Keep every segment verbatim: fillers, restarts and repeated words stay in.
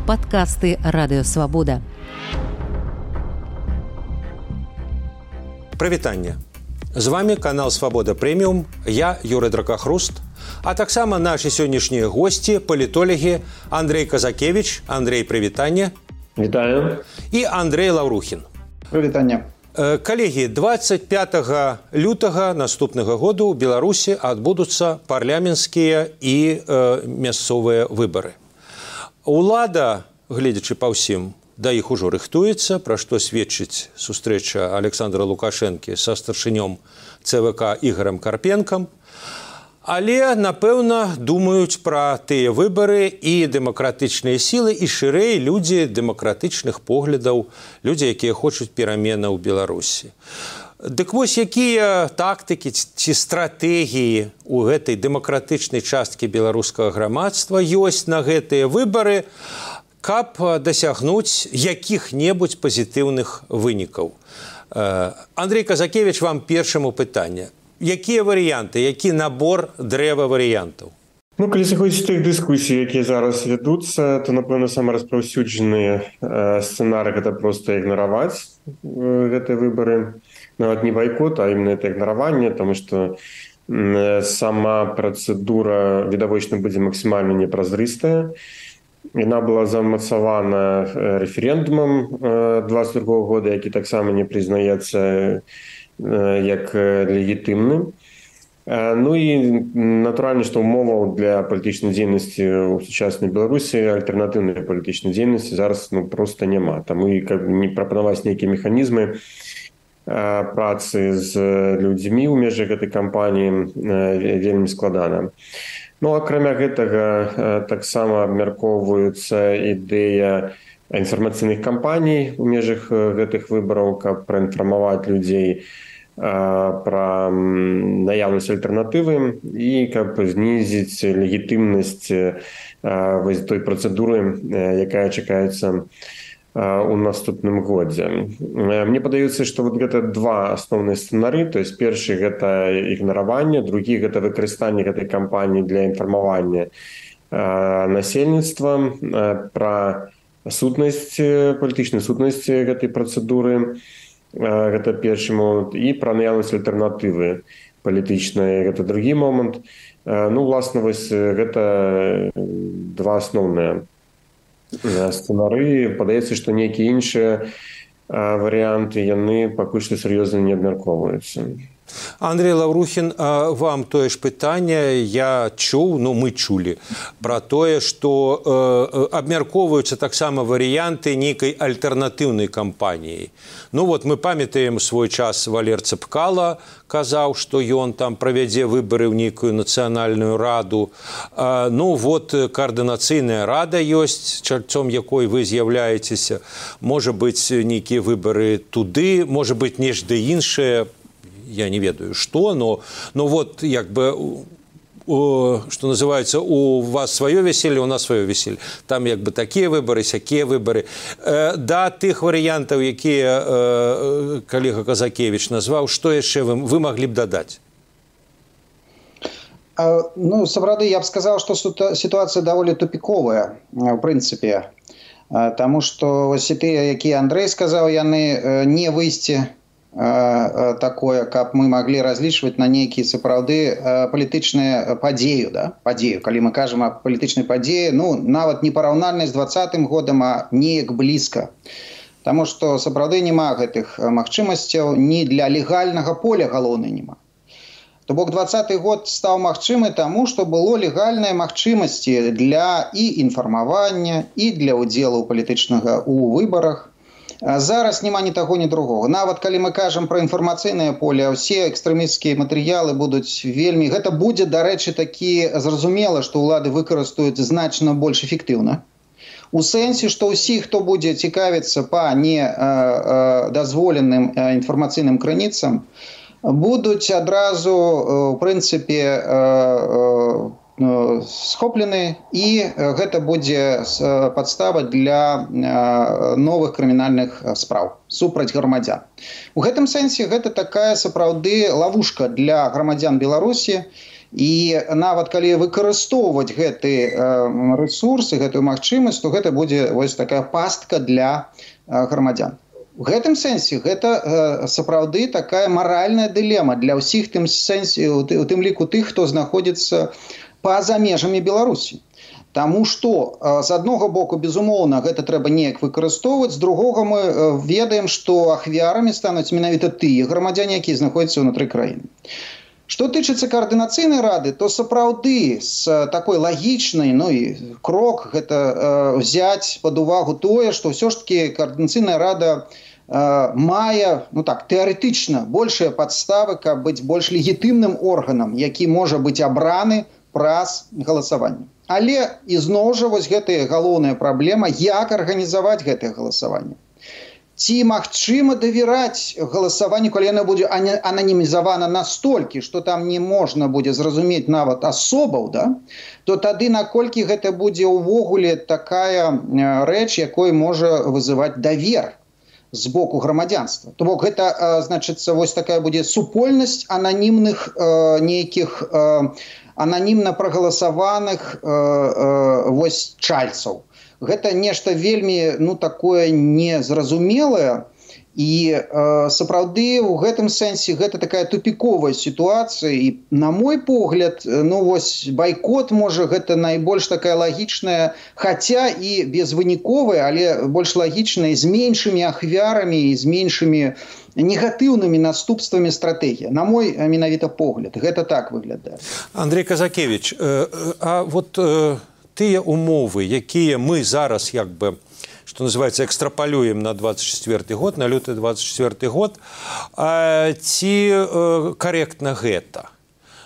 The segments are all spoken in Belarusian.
Падкасты Радыёвабода. Прывітанне. З вами канал Свабода Прэміум, я Юрый Дракахруст, а таксама нашы сённяшнія госці, палітолагі Андрей Казакевич. Андрей, прывітанне. Вітаю. І Андрей Лаўрухін. Прывітанне. Калегі, двадцать пятага лютага наступнага году ў Беларусі адбудуцца парламенцкія і э, мясцовыя выбары. Улада, гледзячы па ўсім, да іх ужо рыхтуецца, пра што сведчыць сустрэча Александра Лукашэнкі са старшынём цэ вэ ка Ігорам Карпенкам. Але, напэўна, думаюць пра тыя выбары і дэмакратычныя сілы, і шырэй людзі дэмакратычных поглядаў, людзі, якія хочуць пераменаў у Беларусі. Дык вось, якія тактыкі ці стратэгіі ў гэтай дэмакратычнай часткі беларускага грамадства ёсць на гэтыя выбары, каб дасягнуць якіх-небудзь пазітыўных вынікаў. Андрей Казакевич, вам першаму пытанне. Якія варыянты, які набор дрэва варыянтаў? Ну, калі заходзіць тых дыскусій, якія зараз вядуцца, то, напэўна, самы распаўсюджаны э, сцэнарый – гэта проста ігнараваць э, гэтыя выбары. Нават не байкот, а именно это ігнараванне, таму што э, сама працэдура відавочна будзе максімальна непразрыстая. Яна была замацавана э, рэферэндумам э, двадцать другога года, які таксама не прызнаецца як легітымны. Ну і натуральна, што умоваў для палітычнай дзейнасці ў сучаснай Беларусі, альтэрнатыўнай палітычнай дзейнасці зараз ну, проста няма. Таму і каб не прапанаваць нейкія механізмы працы з людзьмі ў межах гэтай кампаніі вельмі складана. Ну, акрамя гэтага таксама абмяркоўваецца ідэя інфармацыйных кампаній у межах гэтых выбараў, каб праінфармаваць людзей пра наяўнасць альтэрнатывы і каб знізіць легітымнасць той працэдуры, якая чакаецца у наступным годзе. Мне падаецца, што вот гэта два асноўныя сцэнары, то есть першы гэта ігнараванне, другі гэта выкарыстанне гэтай кампаніі для інфармавання насельніцтва пра сутнасць, палітычнай сутнасці гэтай працэдуры, гэта першы момант, і пра наяўнасць альтэрнатывы палітычнай, гэта другі момант. Ну, власна, вось гэта два асноўныя сцэнары. Падаецца, што нейкія іншыя варыянты, яны пакуль што сур'ёзна не абмяркоўваюцца. Андрей Лаўрухін, вам тое ж пытанне. Я чуў, ну мы чулі пра тое, што э, абмяркоўваюцца таксама варыянты нейкай альтэрнатыўнай кампаніі. Ну вот мы памятаем свой час Валер Цэпкала казаў, што ён там правядзе выбары ў нейкую нацыянальную раду. А, ну вот каардынацыйная рада ёсць, чальцом якой вы з'яўляецеся. Можа быць нейкія выбары туды, можа быць нешта іншае. Я не ведаю, что, но, но вот, як бы, о, что называется, у вас свое веселье, у нас свое веселье. Там, як бы, такие выборы, сякие выборы. Э, да, тых варыянтаў, якія э, калега Казакевич назваў, што яшчэ вы, вы маглі б дадаць? Ну, сапраўды, я б сказал, что ситуация довольно тупиковая, в принципе. Потому что вось тыя, якія Андрей сказаў, яны не выйсці такое, каб мы маглі разлічваць на нейкія сапраўды палітычныя падзею, да? падзею. Калі мы кажам о палітычнай падзеі, ну, нават не параўнальнай з двадцатым годам, а неяк блізка. Таму што сапраўды няма гэтых магчымасцяў, ні для легальнага поля галоўнай няма. То бок двадцаты год стаў магчымы таму, што было легальныя магчымасці для і інфармавання, і для ўдзелу палітычнага ў выбарах. Зараз няма ні таго, ні другога. Нават калі мы кажам пра інфармацыйнае поле, ўсе экстрэмісцкія матэрыялы будуць вельмі... Гэта будзе, дарэчы, такі зразумела, што ўлады выкарыстаюць значна больш эфектыўна. У сэнсе, што ўсі, хто будзе цікавіцца па недазволеным інфармацыйным крыніцам, будуць адразу, у прынцыпе, схоплены, і гэта будзе падстава для новых крымінальных спраў супраць грамадзян. У гэтым сэнсе гэта такая сапраўды лавушка для грамадзян Беларусі, І нават калі выкарыстоўваць гэты рэсурсы, гэтую магчымасць, то гэта будзе вось такая пастка для грамадзян. У гэтым сэнсе гэта сапраўды такая маральная дылема для ўсіх тым сэнсе, у тым ліку тых, хто знаходзіцца па-за межамі Беларусі. Таму што з аднаго боку, безумоўна, гэта трэба неяк выкарыстоўваць, з другога мы ведаем, што ахвярамі стануць менавіта тыя грамадзяне, якія знаходзяцца ўнутры краіны. Што тычыцца каардынацыйнай рады, то сапраўды з такой лагічнай, ну і крок гэта э, взяць пад увагу тое, што ўсё ж такі каардынацыйная рада э, мае, ну так, тэарэтычна большыя падставы, каб быць больш легітымным органам, які можа быць абраны праз галасаванне. Але ізноў жа вось гэтая галоўная праблема, як арганізаваць гэтае галасаванне. Ці магчыма давераць галасаванню, калі яно будзе ананімізавана настолькі, што там не можна будзе зразумець нават асобаў, да? То тады наколькі гэта будзе ўвогуле такая рэч, якой можа вызываць давер з боку грамадзянства. То бок гэта, значыцца, вось такая будзе супольнасць ананімных э, нейкіх э, ананімна прагаласаваных э, э, вось чальцаў. Гэта нешта вельмі, ну, такое незразумелае, і э, сапраўды ў гэтым сэнсе гэта такая тупіковая сітуацыя, і на мой погляд, ну вось байкот можа гэта найбольш такая лагічная, хаця і безвыніковая, але больш лагічная, з меншымі ахвярамі і з меншымі негатыўнымі наступствамі стратэгія. На мой менавіта погляд, гэта так выглядае. Андрей Казакевич, э, а вот э, тыя умовы, якія мы зараз як бы, што называецца, экстрапалюем на двадцать четвёрты год, на люты двадцать четвёрты год, а ці э, карэктна гэта?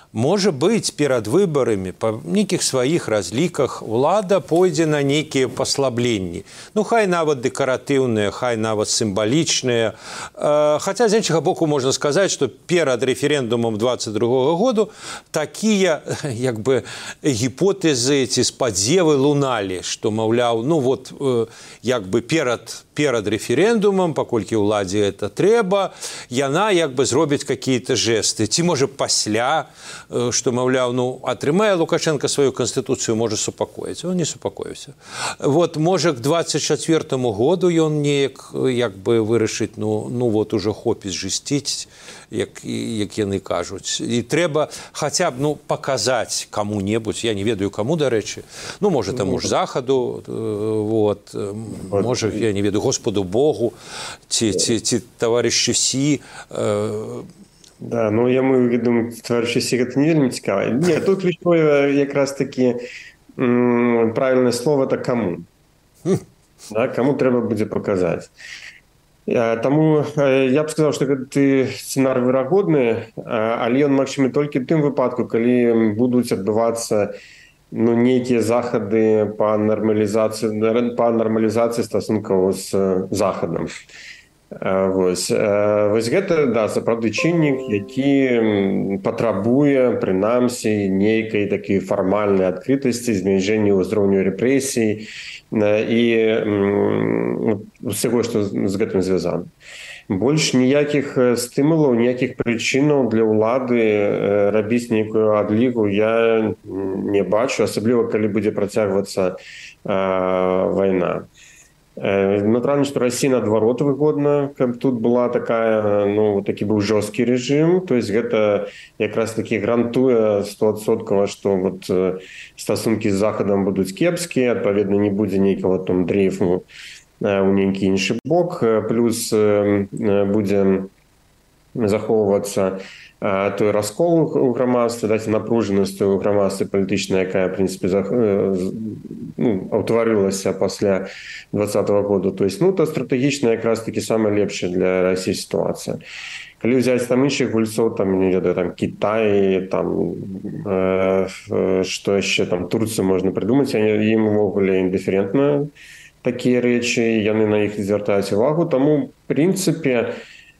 Можа быць, перад выбарамі па нейкіх сваіх разліках улада пойдзе на нейкія паслабленні. Ну, хай нават дэкаратыўныя, хай нават сімвалічныя. Хаця, з іншага боку, можна сказаць, што перад рэферэндумам двадцать другога году такія, як бы, гіпотэзы ці спадзевы луналі, што, маўляў, ну, вот, як бы перад перад рэферэндумам, паколькі ўладзе это трэба, яна як бы зробіць какие-то жесты. Ці, можа, пасля, што, маўляў, ну, атрымае Лукашенко сваю канстытуцыю, можа супакоіць. Он не супакоіўся. Вот, можа, к двадцать четвёртому году ён неяк, як бы, вырашыць, ну, ну, вот, уже хопіць жысціць, як, як яны кажуць. І трэба хаця б, ну, паказаць каму-небудзь, я не ведаю каму, дарэчы, ну, можа, таму ж Захаду, вот, можа, я не ведаю, Господу Богу, ці, ці, ці таварышу Сі. Э... Да, ну, я думаю, таварышу Сі гэта не вельмі цікава. Не, тут ключовое якраз таки м, правильное слово – это кому. Да, кому трэба будзе паказаць. Таму я б сказаў, што гэты сцэнар верагодны, але ён магчымы толькі ў тым выпадку, калі будуць адбывацца, ну, нейкія захады па нармалізацыі, па нармалізацыі стасункаў з Захадам. Вось. Вось гэта, да, сапраўды чыннік, які патрабуе, прынамсі, нейкай такой фармальнай адкрытасці, зніжэння ўзроўню рэпрэсій і ўсяго, што з гэтым звязана. Больш ніякіх стымулаў, ніякіх прычынаў для ўлады рабіць нейкую адлігу я не бачу, асабліва, калі будзе працягвацца вайна. Натуральна, што Расія наадварот выгодна, каб тут была такая, ну, такі быў жорсткі рэжым, то есть гэта якраз такі гарантуе стовадсоткава, што вот стасункі з Захадам будуць кепскія, адпаведна не будзе нейкага там дрейфу у нейкі іншы бок, плюс будзе захоўвацца той раскол у грамадстве, даць напружанасць у грамадстве палітычнай, якая, в прынцыпе, ну, ўтварылася пасля двадцатого году. То есть, ну, то стратэгічна якраз такі самая лепшая для Расіі сітуацыя. Калі ўзяць там іншых гульцоў, там, не ведаю, там, Кітай, там, э, што яшчэ, там, Турцыю можна прыдумаць, ім увогуле індыферентна такія рэчы, яны на іх звяртаюць увагу, таму, в прынцыпе,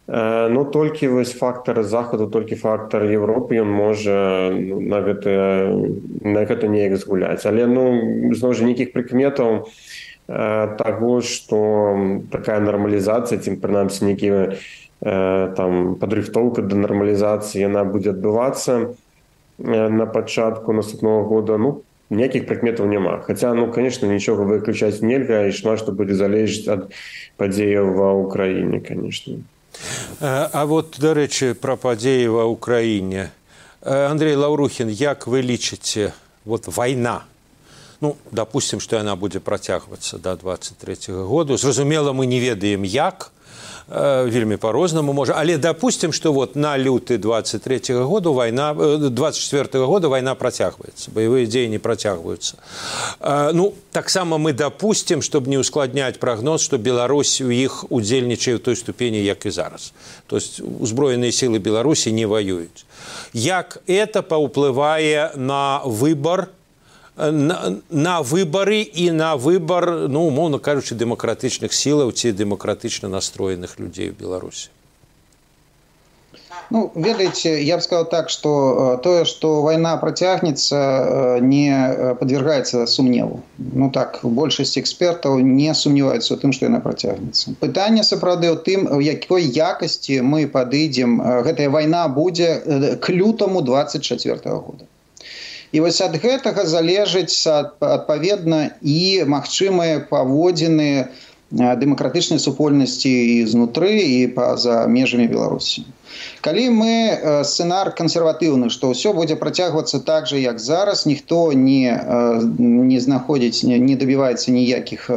ну, толькі вось фактар Захаду, толькі фактар Европы, ён можа на гэта, на гэта неяк згуляць. Але, ну, зноў жа, нейкіх прыкметаў таго, што такая нармалізацыя, ці, прынамсі, нейкія там падрыхтоўка да нармалізацыі, яна будзе адбывацца, на пачатку наступного года, ну, ніякіх прыкметаў няма. Хаця, ну, конечно, нічога выключаць нельга, і шмат што будзе залежаць ад падзеяў ва ўкраіне, конечно. А вот, до речі, про падзеі ва ўкраіне. Андрей Лаўрухін, як вы лічыце, вот вайна, ну, допустим, што яна будзе працягвацца да двадцать третьего году. Зразумела, мы не ведаем, як, вельмі по-рознаму можа, але допустим, что вот на люты двадцать третьего года война, двадцать четвёртого года война працягваецца, боевые дзеянні працягваюцца. Ну, таксама мы допустим, чтобы не ускладнять прогноз, что Беларусь у іх удзельнічае в той ступені, як і зараз. То есть узброеныя силы Беларусі не воююць. Як это паўплывае на выбор, На, на выборы и на выбор, ну, умовно кажучи, демократичных сил ці демократично настроенных людей в Беларуси? Ну, ведаете, я бы сказал так, что то, что война протягнется, не подвергается сумневу. Ну так, большасць экспертаў не сумневаются в том, что она протягнется. Пытанне сапраўды ў тым, у якой якасці мы падыдзем, гэтая война будзе к лютаму двадцать четвёртого года. І вось ад гэтага залежыць адпаведна і магчымыя паводзіны дэмакратычнай супольнасці і знутры, і па-за межамі Беларусі. Калі мы сцэнар кансерватыўны, што ўсё будзе працягвацца так жа, як зараз, ніхто не, не знаходзіць, не дабіваецца ніякіх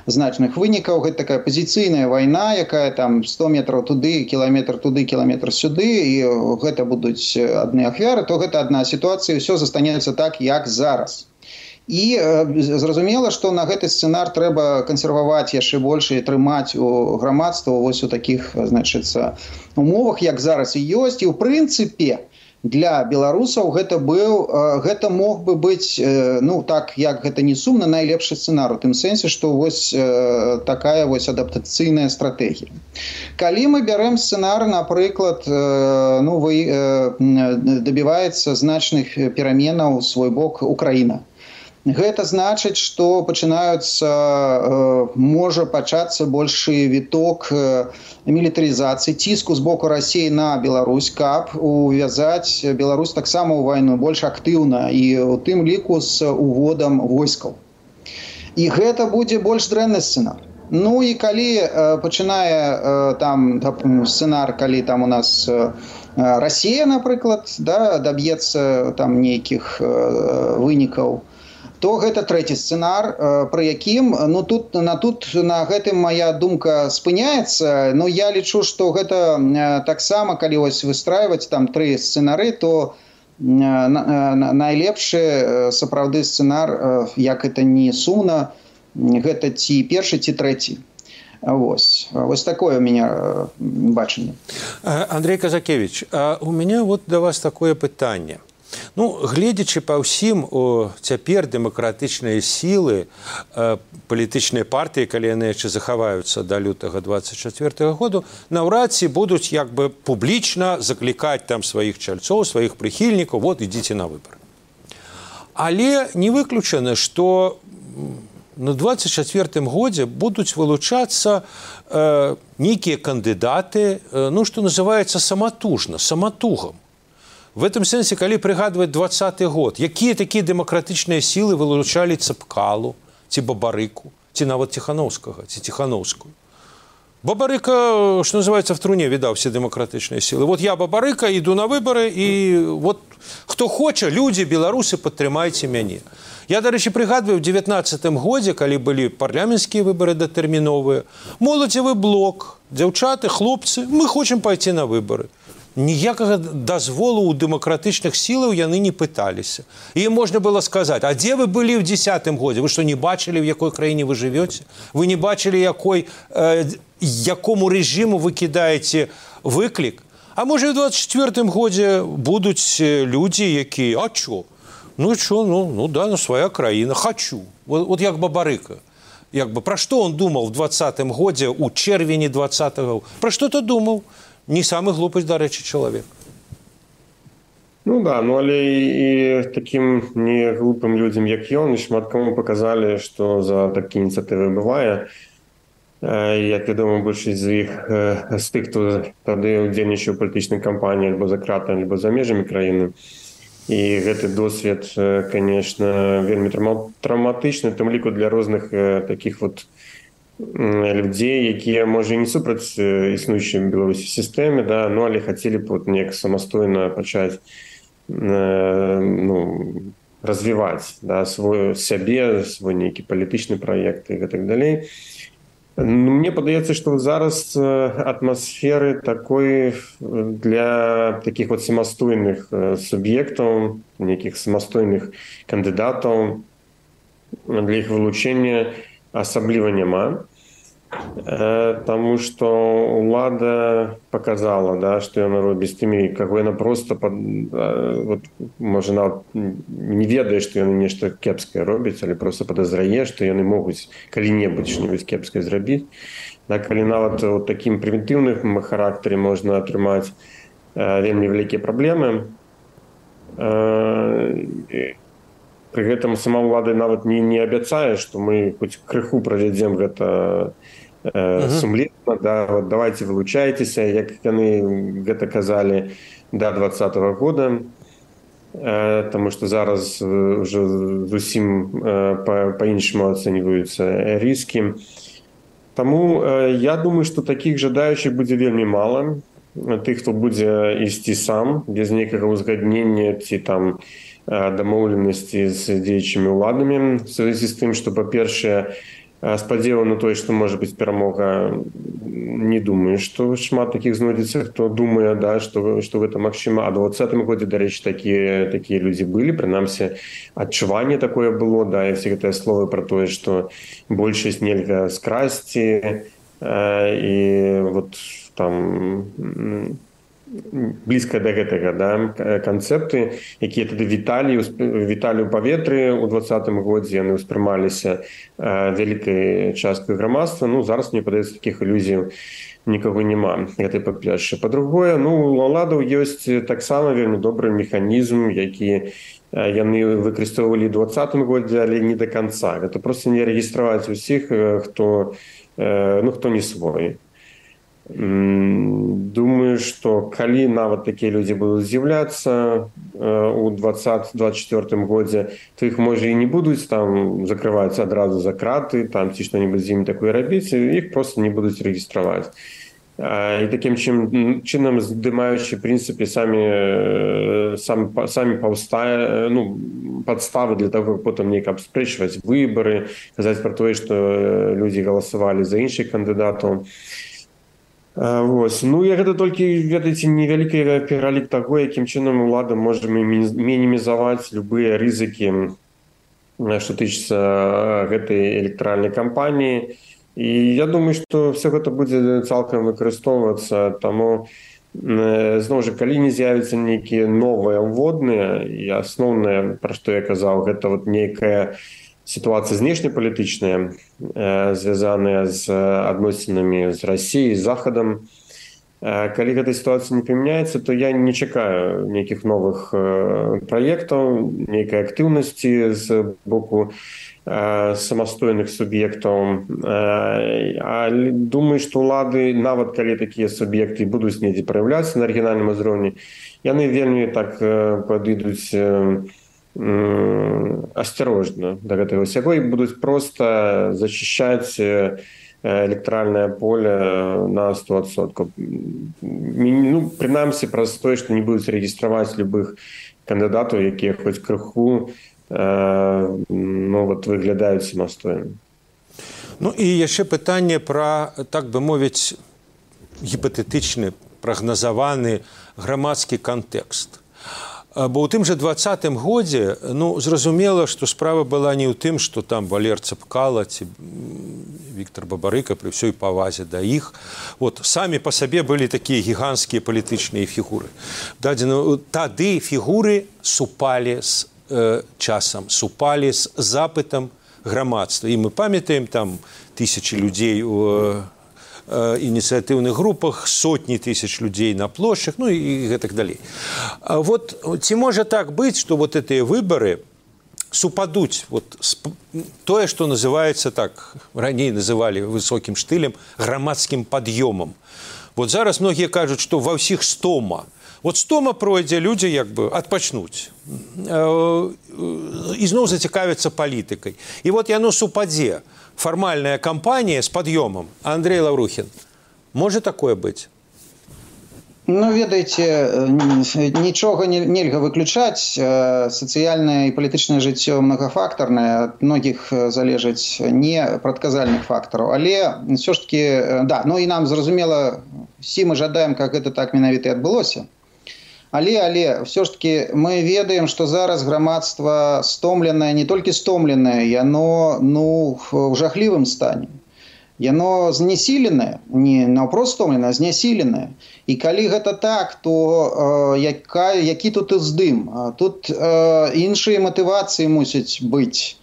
значных вынікаў, гэта такая пазіцыйная вайна, якая там сто метраў туды, кіламетр туды, кіламетр сюды, і гэта будуць адны ахвяры, то гэта адна сітуацыя, і ўсё застанецца так, як зараз. І зразумела, што на гэты сцэнар трэба кансерваваць яшчэ больш і трымаць у грамадства вось у такіх, значыцца, умовах, як зараз і ёсць. І ў прынцыпе для беларусаў гэта быў, гэта мог бы быць, ну так, як гэта не сумна, найлепшы сцэнар, у тым сэнсе, што вось такая вось адаптацыйная стратэгія. Калі мы бярэм сцэнар, напрыклад, ну, вы дабіваецца значных пераменаў у свой бок Украіна. Гэта значыць, што пачынаюцца, можа пачацца большы віток мілітарызацыі, ціску з боку Расіі на Беларусь, каб увязаць Беларусь таксама ў вайну больш актыўна і у тым ліку з уводам войскаў. І гэта будзе больш дрэнны сцэнар. Ну і калі пачынае там сцэнар, калі там у нас Расія, напрыклад, да, даб'ецца там нейкіх вынікаў, то гэта трэці сцэнар, пры якім, ну тут на тут на гэтым моя думка спыняецца. Ну я лічу, што гэта таксама, калі вось выстрайваць там тры сцэнары, то найлепшы сапраўды сцэнар, як это не сумна, гэта ці першы, ці трэці. Вось. Вось такое у меня бачанне. Андрей Казакевич, а у меня вот до вас такое пытанне. Ну, гледзячы па ўсім, цяпер дэмакратычныя сілы, палітычныя партыі, калі яны яшчэ захаваюцца да лютага двадцать четвёртого году, наўрад ці будуць як бы публічна заклікаць там сваіх чальцоў, сваіх прыхільнікаў, вот ідзіце на выбары. Але не выключана, што на двадцать четвёртым годзе будуць вылучацца э, нейкія кандыдаты, э, ну, што называецца саматужна, саматугам. В этом сэнсе, калі прыгадваць двадцаты год, якія такія дэмакратычныя сілы вылучалі Цапкалу, ці Бабарыку, ці нават Ціханаўскага, ці Ціханаўскую. Бабарыка, што называецца, в труне відаў все дэмакратычныя сілы. Вот я Бабарыка, іду на выбары, і вот хто хоча, людзі, беларусы, падтрымайце мяне. Я, дарэчы, прыгадваю, в девятнаццатым годзе, калі былі парламенцкія выбары датэрміновыя, моладзевы блок, дзяўчаты, хлопцы, мы хочам пайти на выбары. Ніякага дазволу ў дэмакратычных сілаў яны не пыталіся. І можна было сказаць, а дзе вы былі ў дзесятым годзе? Вы што, не бачылі, в якой краіне вы жывёце? Вы не бачылі, якой, э, якому рэжыму вы кідаеце выклік? А можа, ў двадцать четвёртым годзе будуць людзі, якія, а чо? Ну, чо, ну, ну да, ну, свая краіна, хачу. Вот, вот як Бабарыка. Як бы, пра што он думаў в двадцатым годзе, у чэрвені двадцатого? Пра што-то думаў? Не самый глупый, до речі, чоловік. Ну да, ну але і таким не глупым людям, як ён, шмат кому показали, що за такі ініціативи буває. Як вядома, большасць з іх, з тих, хто тады удзельнічаў у палітычнай кампаніі або за кратамі, або за межамі краіны, і гэты досвед, конечно, вельмі траўматычны, тым ліку для розных таких вот людзей, якія, можа, не супраць існуючай у Беларусі сістэме, да, ну, але хацелі б вот неяк самастойна пачаць ну, развіваць, да, свой сябе, свой нейкі палітычны праект і гэтак далей. Мне падаецца, што зараз атмасферы такой для таких вот самастойных суб'ектаў, нейкіх самастойных кандыдатаў, для іх вылучэння асабліва няма. Таму што ўлада паказала, да, што яна робіць з тымі, каго яна проста пад, вот, можа, нават не ведае, што яны нешта кепскае робяць, але проста падазрае, што яны могуць калі-небудзь што-небудзь кепскае зрабіць. Да, калі нават у такім прымітыўным характары можна атрымаць вельмі вялікія праблемы, пры гэтым сама ўлада нават не, не абяцае, што мы хоць крыху правядзем гэта э, uh-huh. сумленна, да, вот давайте вылучайцеся, як яны гэта казалі да двадцатого года, э, таму што зараз уже зусім э, па-іншаму ацэньваюцца рыскі. Таму э, я думаю, што такіх жадаючых будзе вельмі мала, тых, хто будзе ісці сам, без нейкага ўзгаднення ці там дамоўленасці з дзеячымі ўладамі, в связи з тым, што, па-першае, спадзева на тое, што можа быць перамога, не думаю, што шмат такіх знойдзецца, хто думае, да, што, што гэта магчыма. А ў двадцатым годзе, дарэчы, такія, такія людзі былі, прынамсі, адчуванне такое было, да, і все гэтыя словы пра тое, што большасць нельга скрасці, і вот там блізка да гэтага, да, канцэпты, якія тады віталі, віталі ў паветры ў двадцатым годзе, яны ўспрымаліся вялікай часткай грамадства. Ну, зараз, мне падаецца, такіх ілюзій нікога няма. Гэта па-першае. Па-другое, ну, у ўладаў ёсць таксама вельмі добры механізм, які яны выкарыстоўвалі ў двадцатым годзе, але не да канца. Гэта проста не рэгістраваць усіх, хто, ну, хто не свой. Думаю, што калі нават такія людзі будуць з'яўляцца у двадцатым двадцать четвёртым годзе, то іх, можа, і не будуць там закрываць адразу за краты, там ці што-небудзь з імі такое рабіць, іх проста не будуць рэгістраваць. І такім чынам, здымаючы, в прынцыпе, самі, самі, самі паўстае, ну, падставы для таго, каб потым неяк абспрэчваць выбары, казаць пра тое, што людзі галасавалі за іншых кандыдатаў. Вось. Ну, і гэта толькі, ведаеце, невялікі пералік таго, якім чынам ўлада можа мінімізаваць любыя рызыкі, што тычыцца гэтай электаральнай кампаніі. І я думаю, што все гэта будзе цалкам выкарыстоўвацца, таму, зноў жа, калі не з'явяцца нейкія новыя ўводныя, і асноўнае, пра што я казаў, гэта вот нейкая ситуация знешнепалітычная, звязаная з адносінамі з Расіяй, з Захадам. Калі гэта сітуацыя не памяняецца, то я не чакаю нейкіх новых праектаў, нейкай актыўнасці з боку самастойных суб'ектаў. Але думаю, што ўлады, нават калі такія суб'екты будуць недзе праяўляцца на рэгіянальным узроўні, яны вельмі так падыдуць асцярожна да гэтага ўсяго і будуць проста зачышчаць электаральнае поле на сто адсоткаў. Ну, прынамсі, праз тое, што не будуць рэгістраваць любых кандыдатаў, якія хоць крыху ну, вот, выглядаюць самастойна. Ну і яшчэ пытанне пра, так бы мовіць, гіпатэтычны, прагназаваны грамадскі кантэкст. Бо ў тым жа двадцатым годзе, ну, зразумела, што справа была не ў тым, што там Валер Цапкала ці Віктор Бабарыка, пры ўсёй павазе да іх, вот, самі па сабе былі такія гіганцкія палітычныя фігуры. Дадзена, тады фігуры супалі з э, часам, супалі з запытам грамадства. І мы памятаем там тысячы людзей у ініцыятыўных групах, сотні тысяч людзей на плошчах, ну і гэтак далей. Вот ці можа так быць, што вот гэтыя выбары супадуць вот тое, што называецца так, раней называлі высокім штылем, грамадскім пад'ёмам. Вот зараз многія кажуць, што ва ўсіх стома, Вот стома пройдзе, людзі як бы адпачнуць. Ізноў зацікавяцца палітыкай. І вот яно супадзе. Фармальная кампанія з пад'ёмам. Андрей Лаврухін, можа такое быць? Ну, ведаеце, нічога нельга выключаць. Сацыяльнае і палітычнае жыццё многафактарнае, ад многіх залежыць не прадказальных фактараў. Але ўсё ж таки, да, ну і нам зразумела, всі мы жадаем, как гэта так менавіта і адбылося. Але, але, ўсё ж таки, мы ведаем, што зараз грамадства стомленае, не толькі стомленае, яно, ну, ў жахлівым стане. Яно знясіленае, не наўпрост стомленае, а знясіленае. І калі гэта так, то э, яка, які тут уздым? Тут э, іншыя матывацыі мусяць быць.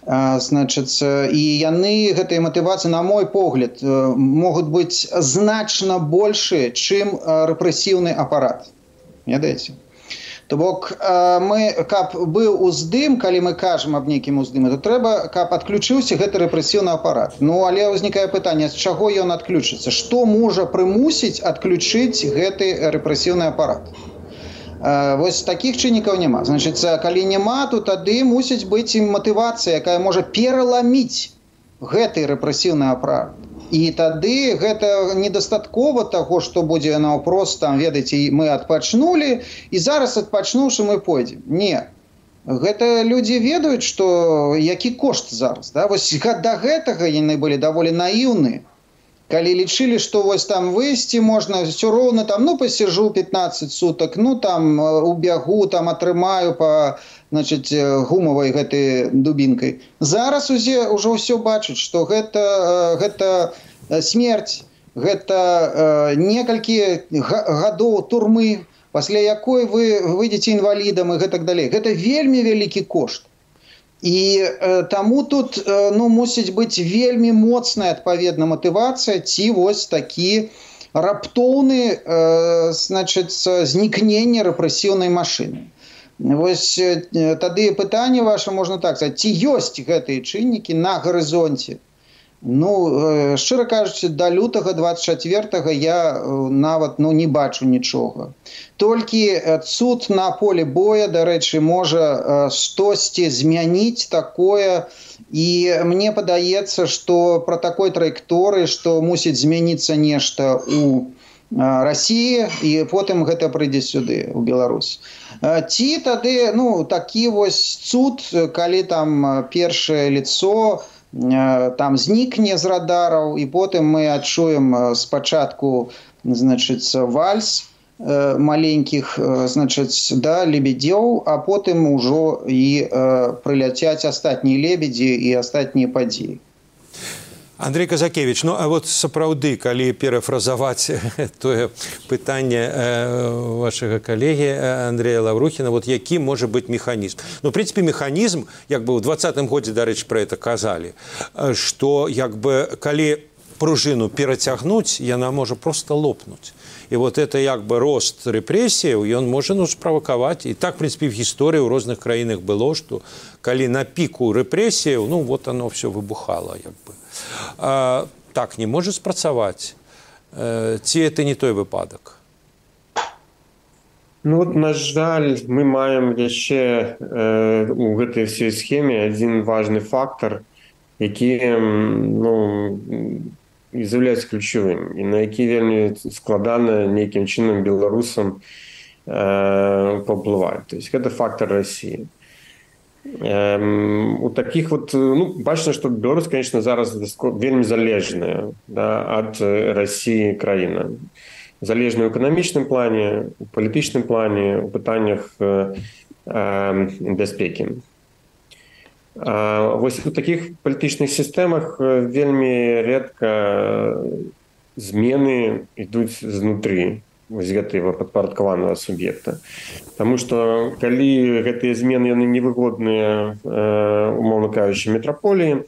Э, значыць, і яны, гэтыя матывацыі, на мой погляд, э, могуць быць значна большыя, чым э, рэпрэсіўны апарат. Ведаеце? То бок, мы, каб быў уздым, калі мы кажам аб нейкім уздыме, то трэба, каб адключыўся гэты рэпрэсіўны апарат. Ну, але ўзнікае пытанне, з чаго ён адключыцца? Што можа прымусіць адключыць гэты рэпрэсіўны апарат? Вось такіх чыннікаў няма. Значыць, калі няма, то тады мусіць быць і матывацыя, якая можа пераламіць гэты рэпрэсіўны апарат. І тады гэта недастаткова таго, што будзе наўпрост, там, ведаеце, мы адпачнулі, і зараз адпачнуўшы мы пойдзем. Не. Гэта людзі ведаюць, што які кошт зараз. Да? Вось да гэтага яны былі даволі наіўны. Калі лічылі, што вось там выйсці можна, все роўна там, ну, пасяжу пятнаццаць сутак, ну, там, убягу, там, атрымаю па, значыць, гумавай гэтай дубінкай. Зараз усе ўжо ўсё бачаць, што гэта, гэта смерць, гэта некалькі гадоў турмы, пасля якой вы выйдзеце інвалідам і гэтак далей. Гэта вельмі вялікі кошт. І э, таму тут э, ну, мусіць быць вельмі моцная адпаведна матывацыя ці вось такі раптоўны э, значыць, знікненне рэпрэсіўнай машыны. Вось э, тады пытанне ваше можна так сказаць, ці ёсць гэтыя чыннікі на гарызонце? Ну, э, шчыра кажучы, да лютага дваццаць чацвёртага я э, нават ну, не бачу нічога. Толькі цуд на поле боя, дарэчы, можа штосьці змяніць такое. І мне падаецца, што пра такой траекторыі, што мусіць змяніцца нешта ў Расіі, і потым гэта прыйдзе сюды, у Беларусь. Ці тады, ну, такі вось цуд, калі там першае лицо там знікне з радараў, і потым мы адчуем спачатку, значыць, вальс маленькіх, значыць, да, лебедзёў, а потым ужо і э, прыляцяць астатнія лебедзі і астатнія падзеі. Андрей Казакевич, ну а вот сапраўды, калі перафразаваць тое пытанне вашага калегі Андрея Лаврухіна, вот які можа быць механізм? Ну, в прынцыпе, механізм, як бы ў двадцатым годзе, дарэчы, пра гэта казалі, што, як бы, калі пружыну перацягнуць, яна можа проста лопнуць. І вот это як бы рост рэпрэсіяў, ён можа ну, справакаваць. І так, в прынцыпе, в гісторыі ў розных краінах было, што калі на піку рэпрэсіяў, ну, вот оно все выбухало, як бы. А, так не можа спрацаваць. Э, ці это не той выпадак? Ну, вот, на жаль, мы маем яшчэ э, у гэтай всей схеме адзін важны фактор, які, ну, з'яўляецца ключавым, і на які вельмі складана нейкім чынам беларусам э, паўплываць. То есть гэта фактор России. Э, у таких вот, ну, бачна, што Беларусь, конечно, зараз вельмі залежная, да, ад России краіна. Залежная ў эканамічным плане, у палітычным плане, у пытаннях э, э, бяспекі. Вось у такіх палітычных сістэмах вельмі рэдка змены ідуць знутры вось гэтага падпарадкаванага суб'екта. Таму што калі гэтыя змены яны невыгодныя, умоўна кажучы, метраполіі,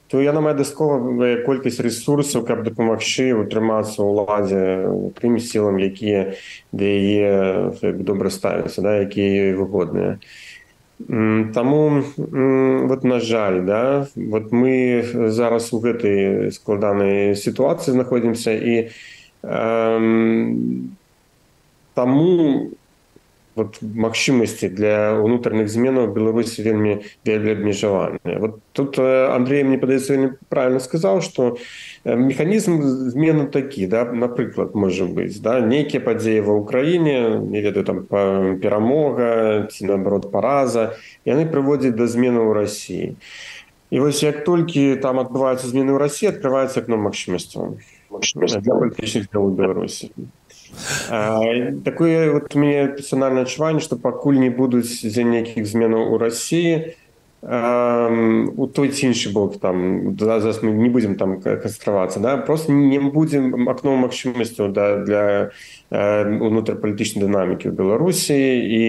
то яна мае дастатковая колькасць рэсурсаў, каб дапамагчы утрымацца ў ўладзе тым сілам, якія да яе добра ставяцца, да, якія выгодныя. Таму, вот, на жаль, да, вот мы зараз у гэтай складанай сітуацыі знаходзімся, і э, таму вот магчымасці для ўнутраных зменаў Беларусі вельмі вельмі абмежаваныя. Вот тут Андрей, мне падаецца, вельмі правильно сказаў, што механізм змены такі, да, напрыклад, можа быць, да, нейкія падзеі ва ўкраіне, не ведаю, там перамога ці наоборот параза, яны прыводзяць да змены ў Расіі. І вось як толькі там адбываюцца змены ў Расіі, адкрываецца акно магчымасцяў для палітычных дзел у Беларусі. А, такое вот у меня персональное адчуванне, што пакуль не будуць дзе нейкіх зменаў у Расіі, а, у той ці іншы бок, там, зараз мы не будзем там канцэнтравацца, да? Просто не будзем акно магчымасцяў да, для унутрапалітычнай дынамікі ў Беларусі, і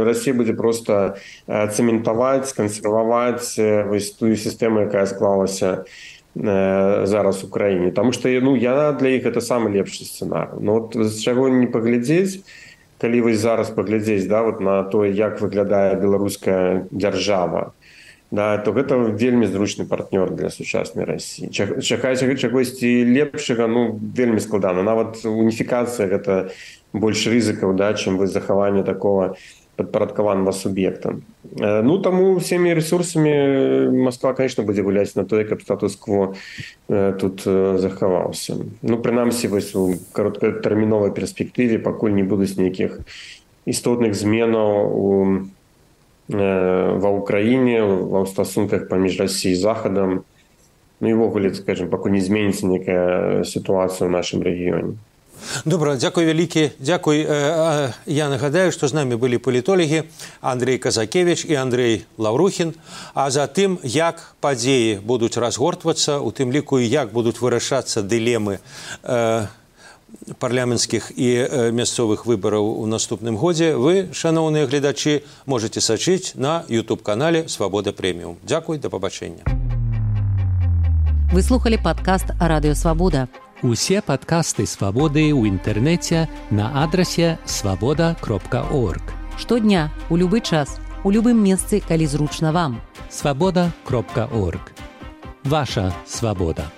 Расія будзе проста цэментаваць, кансерваваць вось тую сістэму, якая склалася зараз у краіне, таму што ну, яна для іх это самы лепшы сцэнар. Ну, от з чаго не паглядзець, калі вось зараз паглядзець, да, вот на тое, як выглядае беларуская дзяржава, да, то гэта вельмі зручны партнёр для сучаснай Расіі. Чакаць чагосьці лепшага, ну, вельмі складана. Нават уніфікацыя гэта больш рызыкаў, да, чым вы захаванне такого падпарадкаванага суб'екта. Ну, таму всеми ресурсамі Москва, конечно, будзе гуляць на тое, каб статус-кво тут захаваўся. Ну, прынамсі, вось у кароткатэрміновай перспектыве, пакуль не будуць нейкіх істотных зменаў у, ва ўкраіне, ва стасунках паміж Расіяй і Захадам. Ну, і ввогуле, скажем, пакуль не зменіцца нейкая сітуацыя ў нашым рэгіёне. Добра, дзякуй вялікі. Дзякуй. Я нагадаю, што з намі былі палітолагі Андрей Казакевіч і Андрей Лаўрухін. А за тым, як падзеі будуць разгортвацца, у тым ліку і як будуць вырашацца дылемы э, парламенцкіх і э, мясцовых выбараў у наступным годзе, вы, шаноўныя гледачы, можете сачыць на ютуб-канале «Свабода Прэміум». Дзякуй, да пабачэння. Вы слухали падкаст «Радыё Свабода». Усе падкасты «Свабоды» ў інтэрнэце на адрасе свабода кропка орг. Штодня, у любы час, у любым месцы, калі зручна вам. свабода кропка орг. Ваша свабода.